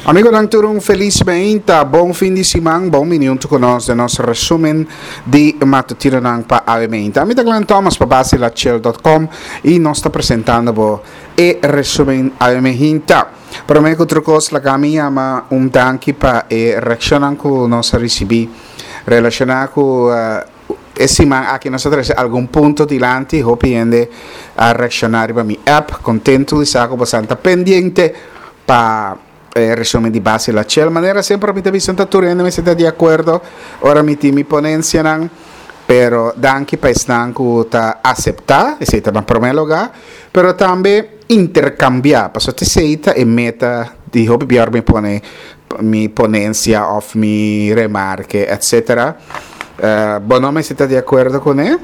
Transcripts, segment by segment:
Amigonan tur un felis meinta, bon fin di siman, bon bini hunto cu nos den nos resumen di matutinonan pa awe meinta. Ami ta Glenn Thomas pa basilachel.com y nos ta presentando bo e resumen awe meinta. Prome cu otro cos laga mi yama un danki pa e reaccionnan cu nos a ricibi relaciona cu E siman aki nos a trece algun punto dilanti, hopi hende a reacciona riba mi app, contento di sa cu bosan ta pendiente pa e resumen di Basi La Chel. Manera semper mi ta bisa ta tur hende mester ta di acuerdo ora mi tin mi ponencianan, pero danki pa esnan cu ta acepta, esey ta na prome lugar, pero tambe intercambia, pasobra esey ta e meta di hopi bia ora mi pone mi ponencia of mi remarke etc. Bo no mester ta di acuerdo cune,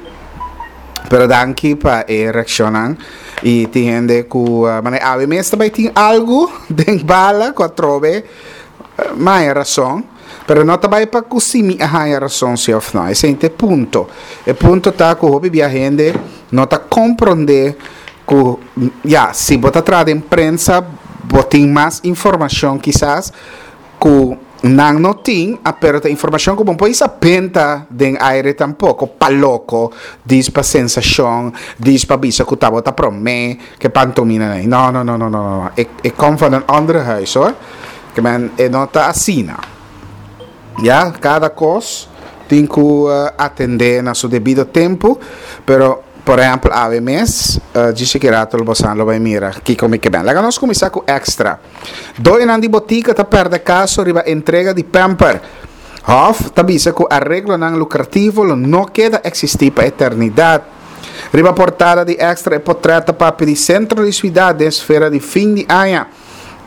pero danki pa e reaccionnan y tin hende cu manera awe mes ta bay tin algo den bala cu atrobe mi haya razon, pero no ta bay pa cu si mi a haya razon si of no, esey ta e punto. E punto ta cu hopi bia hende no ta compronde Ku, ya, si bo ta traha den prensa, bo tin mas informashon kisas ku nan no tin, a pero ta informashon ku bo no por hisa benta den aire tampoko, pa loko, dis pa sensashon, dis pa bisa ku ta bo ta promé ke pantomina nan. No, no, no, no, no, no, e, e kom van een andere huis hoor. Ke men, e no ta asina. Ya, kada kos tin ku atendé na su debido tempu, pero por ehèmpel awe mes, djis ki rato lo bosan lo bai mira kiko mi ke ben. Laga nos kuminsá ku Extra. Doñonan di botika ta pèrdè kaso riba entrega di pèmper. Hòf ta bisa ku areglonan lukrativo lo no keda eksistí pa eternidat. Riba portada di Extra e potrèt ta papia di sentro di suidat den sfera di fin di aña.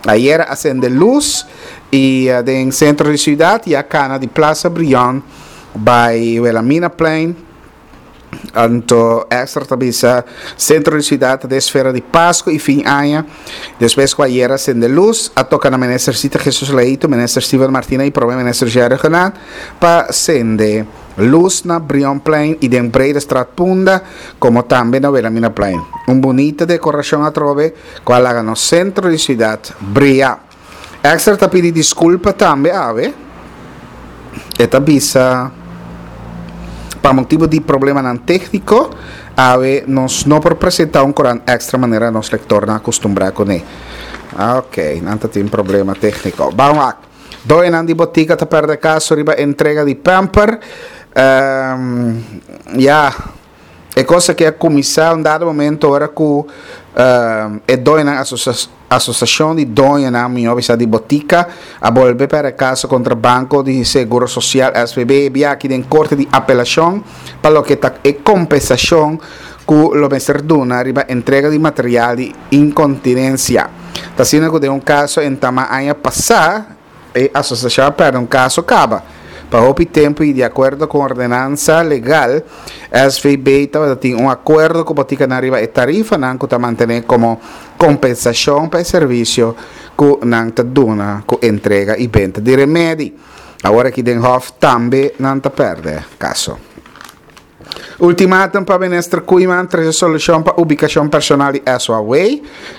Ayera a sende luz y den centro di ciudad y a cana di Plaza Brion bay Wilhelminaplein. Anto Extra ta bisa centro di ciudad ta den esfera di Pasco y fin aña. Despues cu ayera a sende luz a toca na Minister Sita Jesus Leito, Minister Steven Martina y Prome Minister Jerry Genat pa sende Luz na Brionplein y den Bredestraat Punda, como tambe na Wilhelminaplein. Un bunita decoracion atrobe cu a laga nos centro di ciudad bria. Extra ta pidi disculpa tambe awe. E ta bisa pa motibo di problemanan tecnico, awe nos no por presenta un corant extra manera nos lectornan a custumbra cune. Ok, nan ta tin problema tecnico. Ban wak. Doenan di botica ta perde caso riba entrega di pamper. Um, ya, e cosa que a cuminsa un dado momento ora cu um, e doenan asocia asociacion di doenan mihor bisa di botica a bolbe perde caso contra Banco di Seguro Social SVB bia aki den corte di apelacion pa loke ta e compensacion cu lo mester duna riba entrega di material di incontinencia. Ta asina cu den un caso entama aña pasa, e asociacion a perde un caso caba. Pa hopi tempo y di acuerdo cu ordenansa legal, SVB tabata tin un acuerdo cu boticanan riba e tarifanan cu ta mantene como compensacion pa e servicio cu nan ta duna cu entrega y benta di remedi. Awor aki den Hof tambe nan ta perde caso. Ultimatum pa Minister Koeiman trece solucion pa ubicacion personal di SOAW.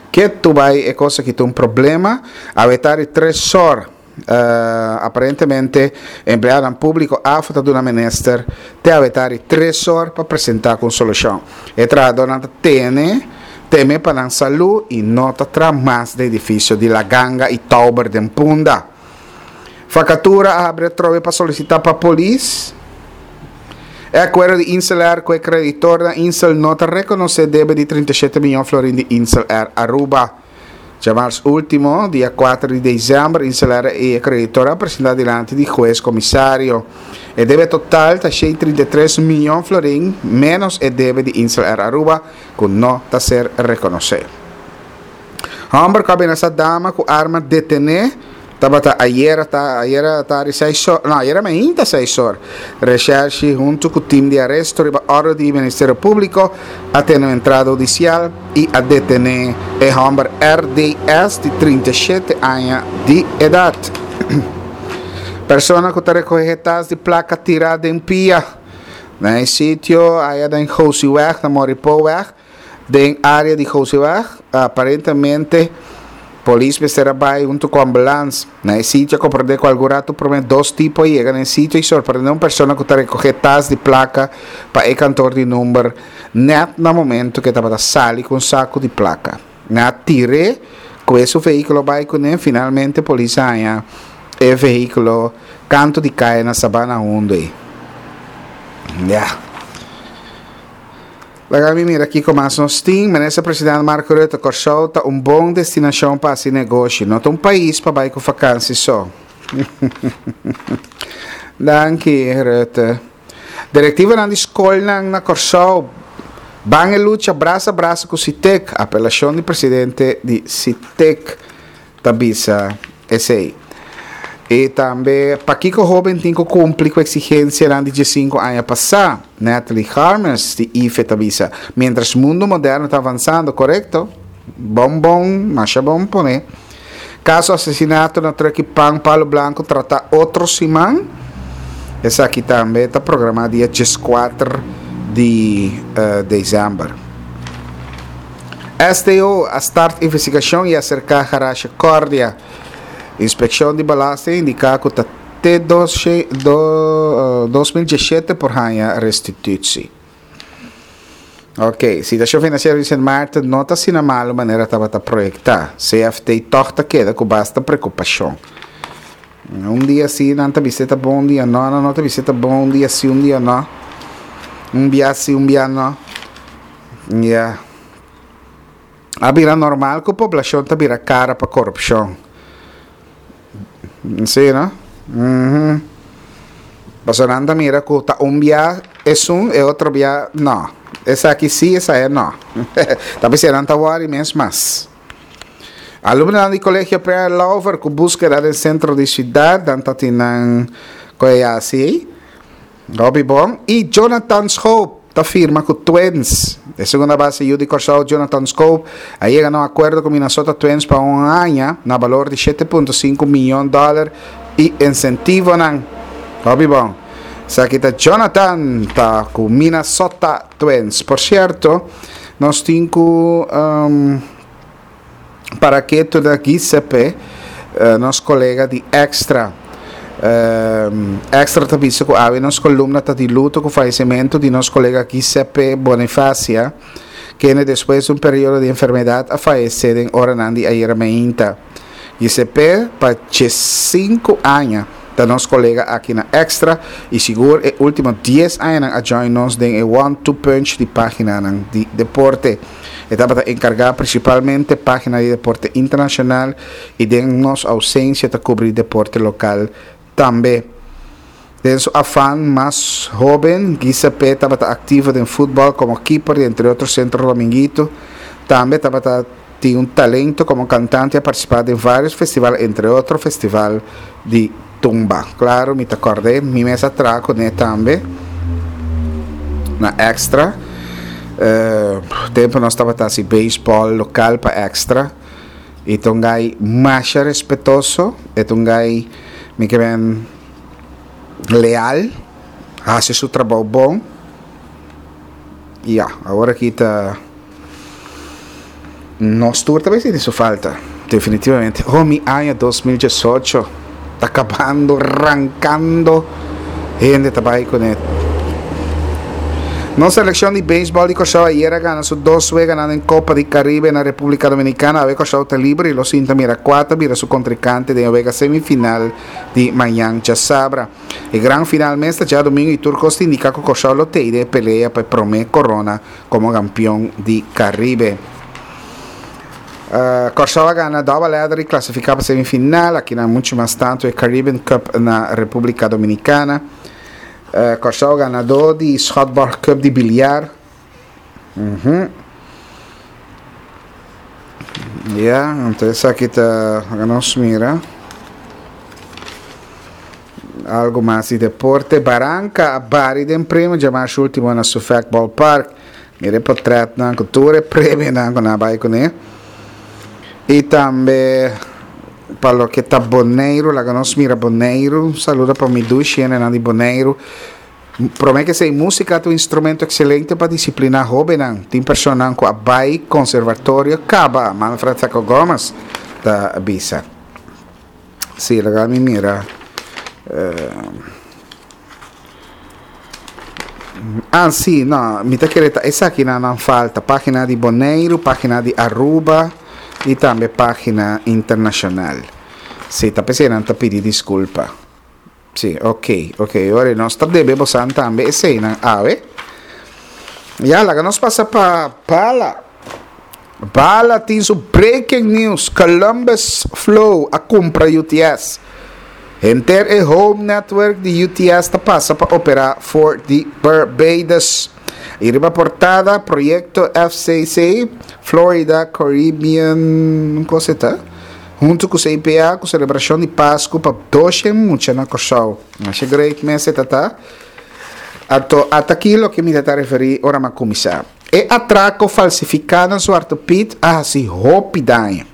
Ke tu bay e cos aki ta un problema. Awe ta di tres or. Aparentemente empleadonan publico afo ta duna minister te awe ta di tres or pa presenta cu un solucion. E trahadornan ta tene teme pa nan salu y no ta traha mas den edificio di La Ganga y Tauber den Punda. Vakatura a habri atrobe pa solisitá pa polis. E akuerdo di Insel Air ku e kreditornan Insel no ta rekonosé debe di 37 miyon florin di Insel Air Aruba. Djamars último, dia 4 di desèmber, Insel Air i e kreditor a presentá dilanti di hues komisario. E debe total ta 133 miyon florin ménos e debe di Insel Air Aruba ku no ta ser rekonosé. Hòmber ku a menasá dama ku arma detené tabata ayera ta ayera tardi seis or no ayera mainta seis or. Reshèrshi huntu ku tim di aresto riba òrdu di Ministerio Públiko a tene un entrada hudisial i a detené e hòmber RDS di 37 aña di edat. Persona ku ta rekohé tas di plaka tirá den pia na e sitio aya den Gosiweg na Moripoweg. Den área di Gosiweg, aparentemente Polis mester a bai huntu ku ambulans. Na e sitio a komprondé ku algun ratu promé dos tipo a yega na e sitio i sorprendé un persona ku ta rekohé tas di plaka pa e kantor di number nèt na momento ku e tabata sali ku un saku di plaka. Nan a tir'é ku e su vehíkulo bai kuné. Finalmente polis a haña e vehíkulo kantu di kaya na Sabana Hundu ei. Ya. Laga mi mira kiko mas nos tin. Minister President Mark Rutte, Kòrsou ta un bon destinashon pa hasi negoshi. No ta un pais pa bai ku fakansi so. Danki, Rutte. Direktivonan di skolnan na Kòrsou ban e lucha brasa brasa ku Sitek. Apelashon di presidente di Sitek ta bisa esei. I tambe pakiko hóben tin ku kumpli ku eksigensianan di diesinku aña pasá? Natalie Harmes di IFE ta bisa, Miéntras mundu moderno ta avansando, korekto? Bon bon, masha bon pone. Kaso asesinato na Truck i Pan Palo Blanco tratá otro siman. Esaki tambe ta programá dia dieskuater di desèmber. STO a start investigashon i a serká Garage Cordia. Inspekshon di Belasting a indiká ku ta te 2017 por haña restitutsi. Ok, situashon finansiero di Sint Maarten no ta asina malu manera tabata proyektá. CFT tòg ta keda ku basta preokupashon. Un dia si nan ta bisa e ta bon, un dia no, nan no ta bisa e ta bon, un dia si, un dia no. Un bia si, un bia no. Ya. A bira normal ku poblashon ta bira kara pa korupshon. Si no? Uhum. Pasobra nan ta mira ku ta un bia esun, e otro bia no. Esaki si, esaya no. Ta bisa nan ta wòri mes mas. Alumnonan di Kolegio Pierre Lauffer ku búskeda den sentro di siudat, nan ta tin nan koe hasi ei. Hopi bon. I Jonathan Schoop ta firma ku Twins. E segunda base yu di Kòrsou Jonathan Schoop a yega na un akuerdo ku Minnesota Twins pa un aña na balor di shete punto sinku miyon dòler i insentivonan. Hopi bon. Esaki ta Jonathan ta ku Minnesota Twins. Por sierto, nos tin ku Para ketu na Giuseppe, nos kolega di Extra. Extra ta bisa ku awe nos kolumna ta di luto ku fayesimentu di nos kolega Giuseppe Bonifacia, kende despues di un periodo di enfermedat a fayesé den oranan di ayera meinta. Giuseppe pa diesinku aña ta nos kolega aki na Extra i sigur e último dies añanan a join nos den e one-two punch di páginanan di deporte. E tabata enkargá prinsipalmente página di deporte internashonal i den nos ousensia ta kubrí deporte lokal tambe. Den su afan mas hóben, Giuseppe tabata aktivo den futbòl komo kiper di entre otro Centro Dominguito. Tambe tabata tin un talento komo kantante i a partisipá den vários festival entre otro Festival di Tumba. Claro mi ta kòrd'é, mi mes a traha kuné tambe na Extra. Tempu nos tabata hasi beisbòl lokal pa Extra. E ta un gai masha respetoso, e ta un gai mi ke men leal, hasi su trabou bon. Ya, awor aki ta. Nos tur ta bay sinti su falta, definitivamente. Oh, mi aña 2018 ta kabando, rankando, hende ta bay kuné. Nos selekshon di beisbòl di Kòrsou ayer a gana su dos weganan den Kopa di Karibe na Repúblika Dominikana. Awe Kòrsou ta liber i lo sinta mira kua ta bira su kontrinkante den e wega semifinal di mañan djasabra. E gran final mes ta djadumingu i tur kos ta indiká ku Kòrsou lo tei den e pelea pa e promé korona komo kampion di Karibe. Kòrsou a gana double header i klasifiká pa semifinal. Akinan muchu mas tantu e Caribbean Cup na Repúblika Dominikana. Kòrsou ganadó di Schotborgh Cup di biliar. Ya, anto esaki ta nos mira. Algo mas di deporte. Baranka a bari den premio djamarsh ultimo na Suffolk Ballpark. Mira e potretnan ku tur e premionan ku nan a bai kuné. I tambe pa loke ta Boneiru, laga nos mira Boneiru. Un saludo pa mi dushi hendenan di Boneiru. Promé ke esei, músika ta un instrumento ekselente pa disipliná hóbennan. Tin personanan ku a bai konservatorio kaba, Manfred Sacco Gomez. ta bisa. Sí, laga mi mira. Ah, sí, no, mi ta kere ta esakinan nan falta. Página di Boneiru, página di Aruba i tambe página internashonal. Sí, ta p'esei nan ta pidi diskulpa. Sí, ok, ok. Ora nos ta debe bosan tambe eseinan awe. Ya, laga nos pasa pa Bala. Bala tin su breaking news, Columbus Flow a kumpra UTS. Henter e home network di UTS ta pasa pa operá for di Barbados. I riba portada, proyekto FCC, Florida Caribbean, kos e ta? Huntu ku CPA ku selebrashon di Pasku pa doshen mucha na Kòrsou. Masha great mes e ta ta. Anto ata aki loke mi ta ta referí ora mi a kuminsá. E atrako falsifiká na Zwarte Piet a hasi hopi daño.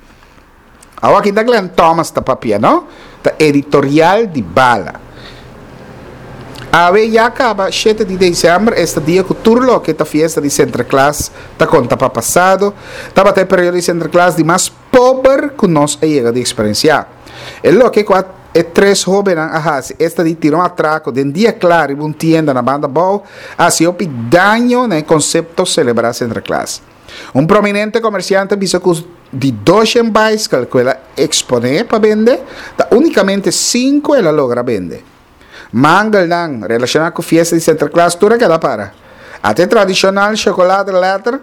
Awor aki ta Glenn Thomas ta papia, no? Ta editorial di Bala. Awe ya kaba shete di desèmber, esta dia ku tur loke ta fiesta di Sinterklaas ta konta pa pasado, tabata e periodo di Sinterklaas di mas pober ku nos a yega di eksperensiá. E loke ku a e tres hóbennan a hasi, esta di tira un atrako den dia kla riba un tienda na Banda Bou, a hasi hopi daño na e konsepto selebrá Sinterklaas. Un prominente komersiante a bisa ku di doshen baiskel ku el a eksponé pa bende, ta únikamente sinku el a logra bende. Mangelnan relashoná ku fiesta di Sinterklaas tur a keda para. Ata e tradishonal shokolade lèter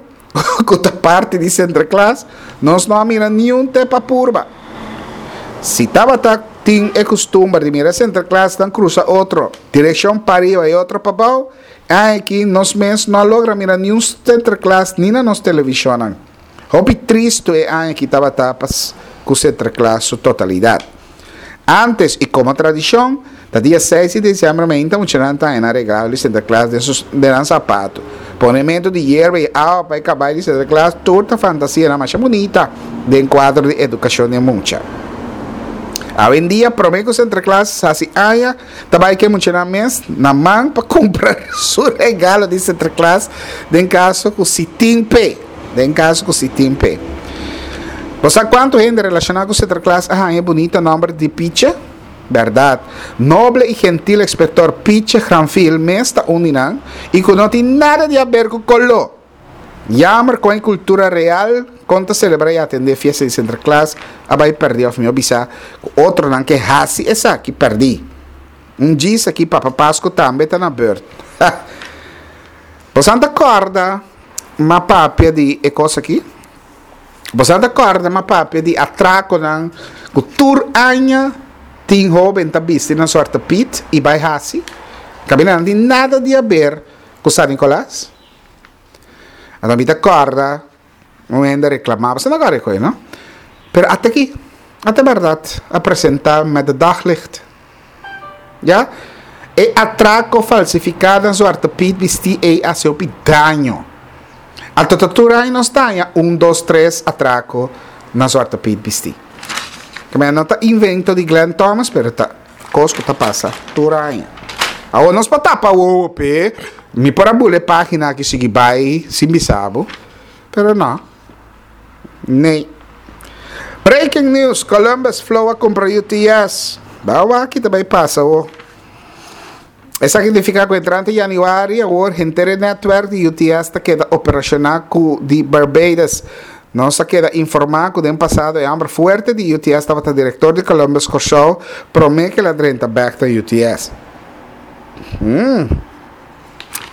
ku ta parti di Sinterklaas, nos no a mira niun te pa purba. Si tabata tin e kustumber di mira Sinterklaasnan krusa otro direkshon pariba i otro pabou, aki nos mes no a logra mira niun Sinterklaas ni na nos televishonnan. Hopi tristu e aña aki tabata pa ku Sinterklaas su totalidat. Antes y como tradicion, ta dia seis di diciembre meinta muchanan ta haña nan regalo di Sinterklaas den sus den nan zapato. Ponemento di yerba y awa pa e cabay di Sinterklaas tur ta fantasianan masha bunita den cuadro di educacion di e mucha. Awendia prome cu Sinterklaas haci aña ta bay cu e muchanan mes na man pa cumpra su regalo di Sinterklaas den caso cu si tin p'e. Den caso cu si tin p'e. Bo sa cuanto hende relaciona cu Sinterklaas a haña e bunita nomber di Pietje? Berdad. Noble y gentil Inspector Pietje Granville mes ta un di nan y cu no tin nada di haber cu coló. Jammer con e cultura real con ta celebra y atende fiesta di Sinterklaas a bay perdi of mihor bisa cu otronan ke haci esaki perdi. Un djis aki Papa Pascu tambe ta na beurt. Bosan ta corda m'a papia di e cos aki? Bosan ta corda m'a papia di atraconan cu tur aña tin hoben ta bisti nan suerte pit y bay haci? Caminda nan tin nada di haber cu San Nicolas. Anto mi ta corda un hende a reclama, bosan ta corda e coy no? Pero ata aki, ata berdad a presenta met de daglicht. Ya. E atraco falsifica na Zwarte Piet bisti ey haci hopi daño. Anto ta tur aña nos ta haña un, dos, tres atraco na Zwarte Piet bisti. Keme no ta invento di Glenn Thomas pero ta cos cu ta pasa tur aña. Awor nos por tapa wowo p'e, mi por a bula e pagina aki sigui bay sin bisa bo, pero no. Nee. Breaking news, Columbus Flow a cumpra UTS. Ba wak ki ta bay pasa awo. Esaki nifica cu entrante januari awor henter e netwerk di UTS ta keda operaciona cu di Barbados. Nos a keda informa cu den pasado e homber fuerte di UTS tabata director di Columbus Corsou prome cu el a drenta bek na UTS. Hmm.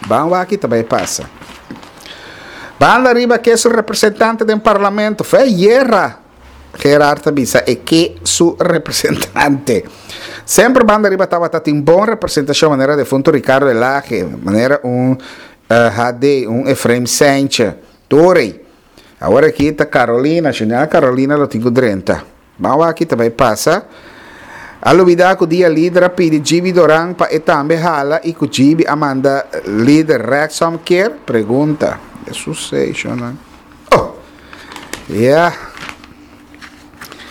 Ban wak ki ta bay pasa. Banda riba ke su representante den parlamento. Fe yerra. Gerard ta bisa e ke su representante. Semper banda riba tabata tin bon representacion manera defunto Ricardo Elhage, manera un HD, un Efraim Seintje. Tur ey. Awor aki ta Carolina, Juliana Carolina lo tin cu drenta. Ban wak ki ta bay pasa. A lubida cu dia lider a pidi Gibi Doran pa e tambe hala y cu Gibi a manda lider rechtsom keer? Pregunta. Jesus seishonan. Oh! Ya.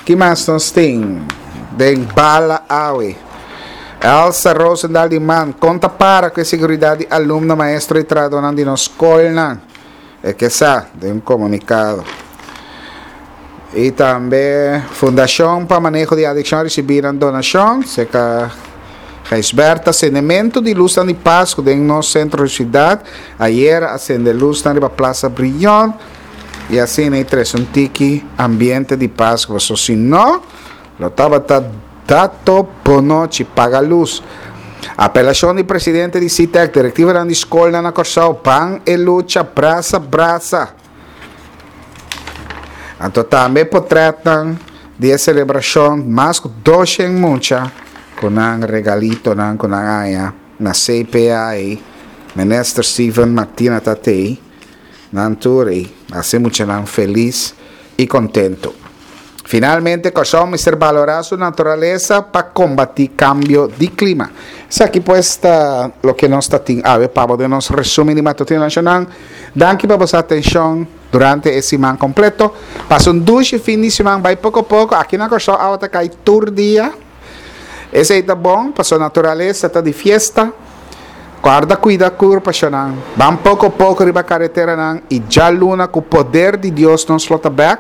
Ki mas nos tin den bala awe? Elsa Rosendal di man, con ta para cu e seguridad di alumno, maestro y trahadornan di nos scolnan? E ke sa den un comunicado. I tambe Fundashon pa Maneho di Adikshon a risibí nan donashon serka Gijsbertha. Sendementu di lusnan di Pasku den nos sentro di siudat. Ayera a sende lusnan riba Plaza Brion i asina i trese un tiki ambiente di Pasku. Pasobra si no, lo tabata dato bonochi, paga lus. Apelashon di presidente di SITEK, direktivanan di skolnan na Kòrsou, ban e lucha brasa brasa. Anto tambe potretnan di e selebrashon mas ku doshen mucha ku nan regalitonan ku nan haña na CPA ei. Minister Steven Martina ta tei nan tur ei hasi muchanan felis i kontentu. Finalmente Kòrsou mester balorá su naturalesa pa kombatí kambio di klima. Esaki pues ta loke nos ta tin awe pa bo den nos resumen di Matutino Nashonal. Danki pa boso atenshon durante e siman kompleto. Pasa un dushi fin di siman, bai poko poko. Aki na Kòrsou awa ta kai tur dia. Esei ta bon pasobra naturalesa ta di fiesta. Kòrda kuida kurpa shonnan. Ban poko poko riba kareteranan i djaluna ku poder di Dios nos lo ta bèk.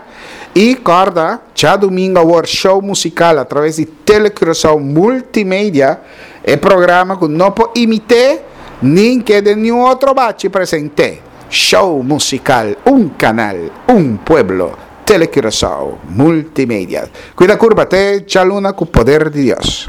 I kòrda, djadumingu awor show musikal atraves di Tele Curaçao Multimedia, e programa ku no por imit'é nin ke den niun otro bachi present'é. Show musikal, un kanal, un pueblo, Tele Curaçao Multimedia. Kuida kurpa te djaluna ku poder di Dios.